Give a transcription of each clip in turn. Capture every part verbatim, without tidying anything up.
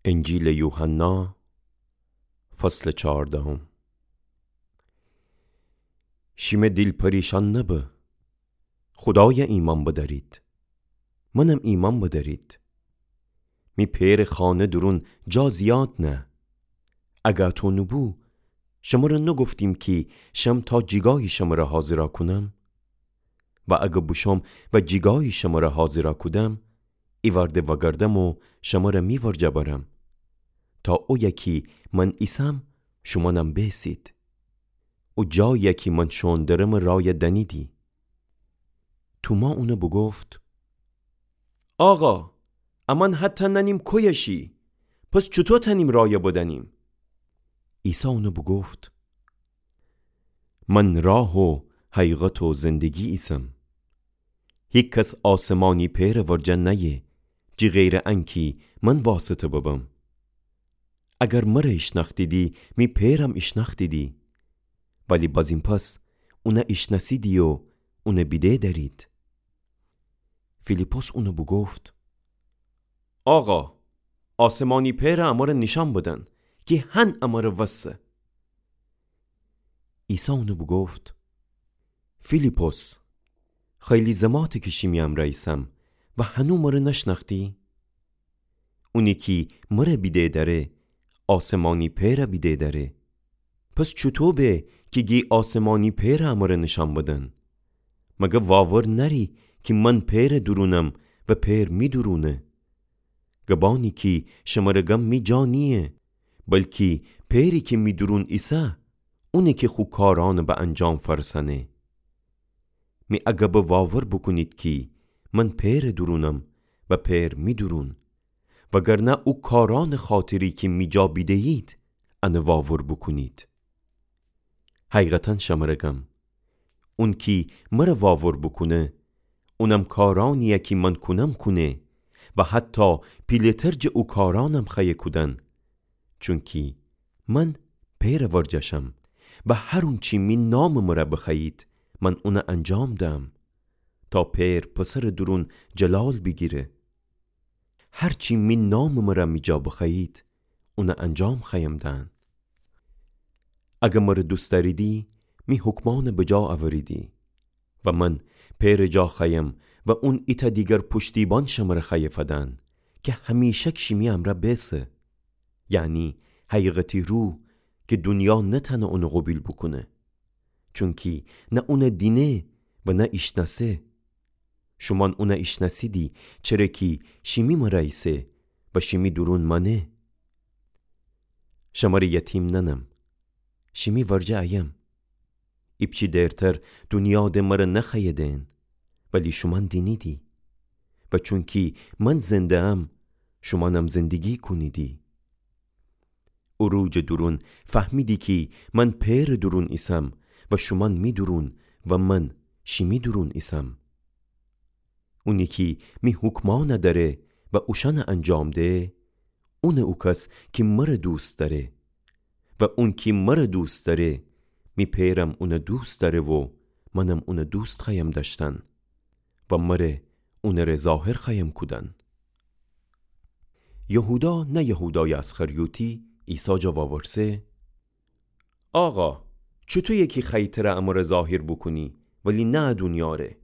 انجیلٚ یوحنا، فصلٚ چهاردهم. شیمه دیل پریشان نبه. خودایَ ایمأن بدأرید. منم ایمأن بدأرید. می پئرٚ خانه دورون جا زیاد نه. اگه اطو نوبو، شمره نوگفتیم کی شم تا جیگایی شمره حاضرَ کونم؟ و اگه بوشوم و جیگایی شمره حاضرَ کودم، ایوأرده وأگردم و شمره می ورجه برم، تا اویه کی من ایسم، شومأنم بیسید. او جایی کی من شوئون درمٚ رایَ دأنیدی. توما اونَ بوگفت: آقا، امأن حتی نأنیم کویه شی، پس چوطو تأنیم رایَ بدأنیم؟ عیسی اونَ بوگفت: من راه و حقیقت و زندگی ایسم. هیکس آسمانی پئرٚ ورجه نأیه، جی غیرٚ انکی من واسطه ببم. اگر مره ایشنأختیدی، می پئرم ایشنأختیدی. ولی بزین پس اونَ ایشنأسیدی و اونَ بیده دأرید. فیلیپس اونَ بوگفت: آقا، آسمانی پئرَ امره نیشأن بدن، کی هن امره وسه. عیسی اونَ بوگفت: فیلیپس، خیلی زماته کی شیمی امرأ ایسم و هنو مره نشنأختی؟ اونی کی مره بیده دأره، آسمانی پئرَ بیده دأره. پس چوطو به کی گی آسمانی پئرَ امره نیشأن بدن؟ مگر واور نأری کی من پئرٚ دورونم و پئر می دورونه؟ گبأنی کی شمره گم می جا نییه، بلکی پئری کی می دورون ایسه، اونه کی خو کارأنَ به انجام فأرسأنه. می ا گبَ واور بوکونید کی من پئرٚ دورونم و پئر می دورون، وگرنه او کارأنٚ خاطری کی می جا بیدهیید، انَ واور بوکونید. حقیقتا شمره گم، اون کی مره واور بوکونه، اونم کارأنیَ کی من کونم کونه و حتی پیله‌تر جٚه او کارأنم خوأیه کودن. چونکی من پئرٚ ورجه شم و هر اونچی می نامٚ مره بخوأیید، من اونَ انجام دهم، تا پئر پسرٚ دورون جلال بیگیره. هر چی می نامٚ مره می جا بخوأیید، اونَ انجام خوأیم دهن. اگر مره دوست دأریدی، می حکمأنَ بجا اوریدی. و من پئرٚ جا خوأیم و اون ایتأ دیگر پشتیبان شمره خوأیه فدن، کی همیشک شیمی امرأ بیسه. یعنی حقیقتی روح کی دونیا نتأنه اونَ قوبیل بوکونه. چونکی نه اونَ دینه و نه ایشنأسه. شومأن اونَ ایشنأسیدی، چره کی شیمی مره ایسه و شیمی دورون مأنه. شمره یتیم نأنم، شیمی ورجه ایم. ایپچی دیرتر دونیا د مره نخوأیه دئن، ولی شومأن دینیدی. و چونکی من زنده‌ام، شومأنم زندگی کونیدی. او روح جٚه دورون فهمیدی کی من پئرٚ دورون ایسم و شومأن می دورون و من شیمی دورون ایسم. اونی کی می حکمأنَ دأره و اوشأنَ انجام ده، اونه او کس کی مره دوست دأره. و اون کی مره دوست دأره، می پئرم اونَ دوست دأره و منم اونَ دوست خوأیم دأشتن و مره اونٚ ره ظاهر خوأیم کودن. یهودا، نه یهودایٚ اسخریوطی، عیسی جا واورسه: آقا، چوطویه کی خوأیی تره امره ظاهر بوکونی، ولی نه ا دونیا ره؟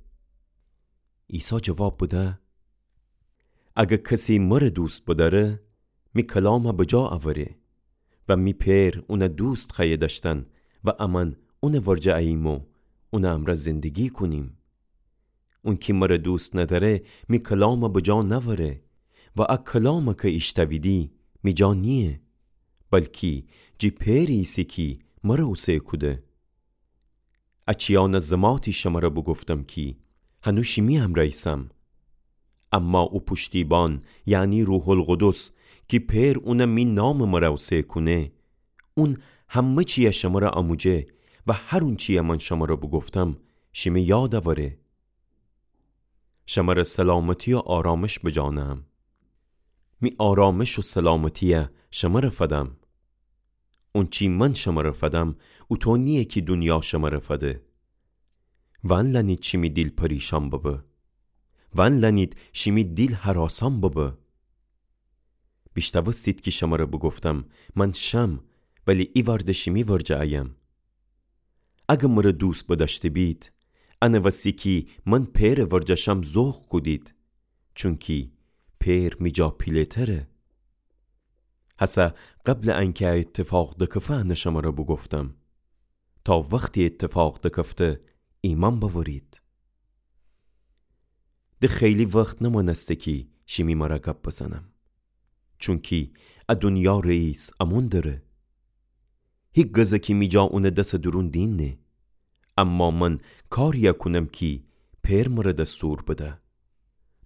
عیسی جواب بده: اگر کسی مره دوست بدأره، می کلامَ بجا اوره و می پئر اونَ دوست خوأیه دأشتن و امأن اونٚ ورجه اییم و اونٚ امرأ زندگی کونیم. اون کی مره دوست ندأره، می کلامَ بجا نأوره و ا کلامَ کی ایشتأویدی، می جا نییه، بلکی جی پئری ایسه کی مره اوسه کوده. ا چیأنَ زماتی شمره بوگفتم کی هنو شیمی امرأ ایسم. اما او پشتیبان، یعنی روح‌القدس، کی پئر اونَ می نامٚ مره اوسه کونه، اون همه چیَ شمره آموجه و هر اونچیَ من شمره بوگفتم، شیمه یاد اوره. شمره سلامتی و آرامش بجا نهم. می آرامش و سلامتیَ شمره فدم. اونچی من شمره فدم، اوطو نییه کی دونیا شمره فده. ونلأنید شیمی دیل پریشان ببه. ونلأنید شیمی دیل هراسان ببه. بیشتاوستید کی شمره بوگفتم، من شم، ولی ایوارده شیمی ورجه ایم. اگه مره دوست بدأشته بید، انه وسی کی من پئره ورجه شم ذوق کودید، چونکی پئر می جا پیله‌تره. هسه قبل انکه ا ایتفاق دکفه انه شمره بوگفتم، تا وختی ایتفاق دکفته ایمأن بأورید. ده خیلی وخت نمأنسته کی شیمی مره گب بزنم، چونکی ا دونیا رئیس امون دره. هیگزه کی می جا اونٚ دسٚ دورون دینه. اما من کاریی کونم کی پئر مره دستور بده،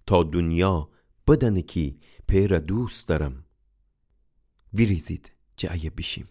تا دونیا بدأنه کی پئره دوست دأرم. ویریزید جٚه ایه بیشیم.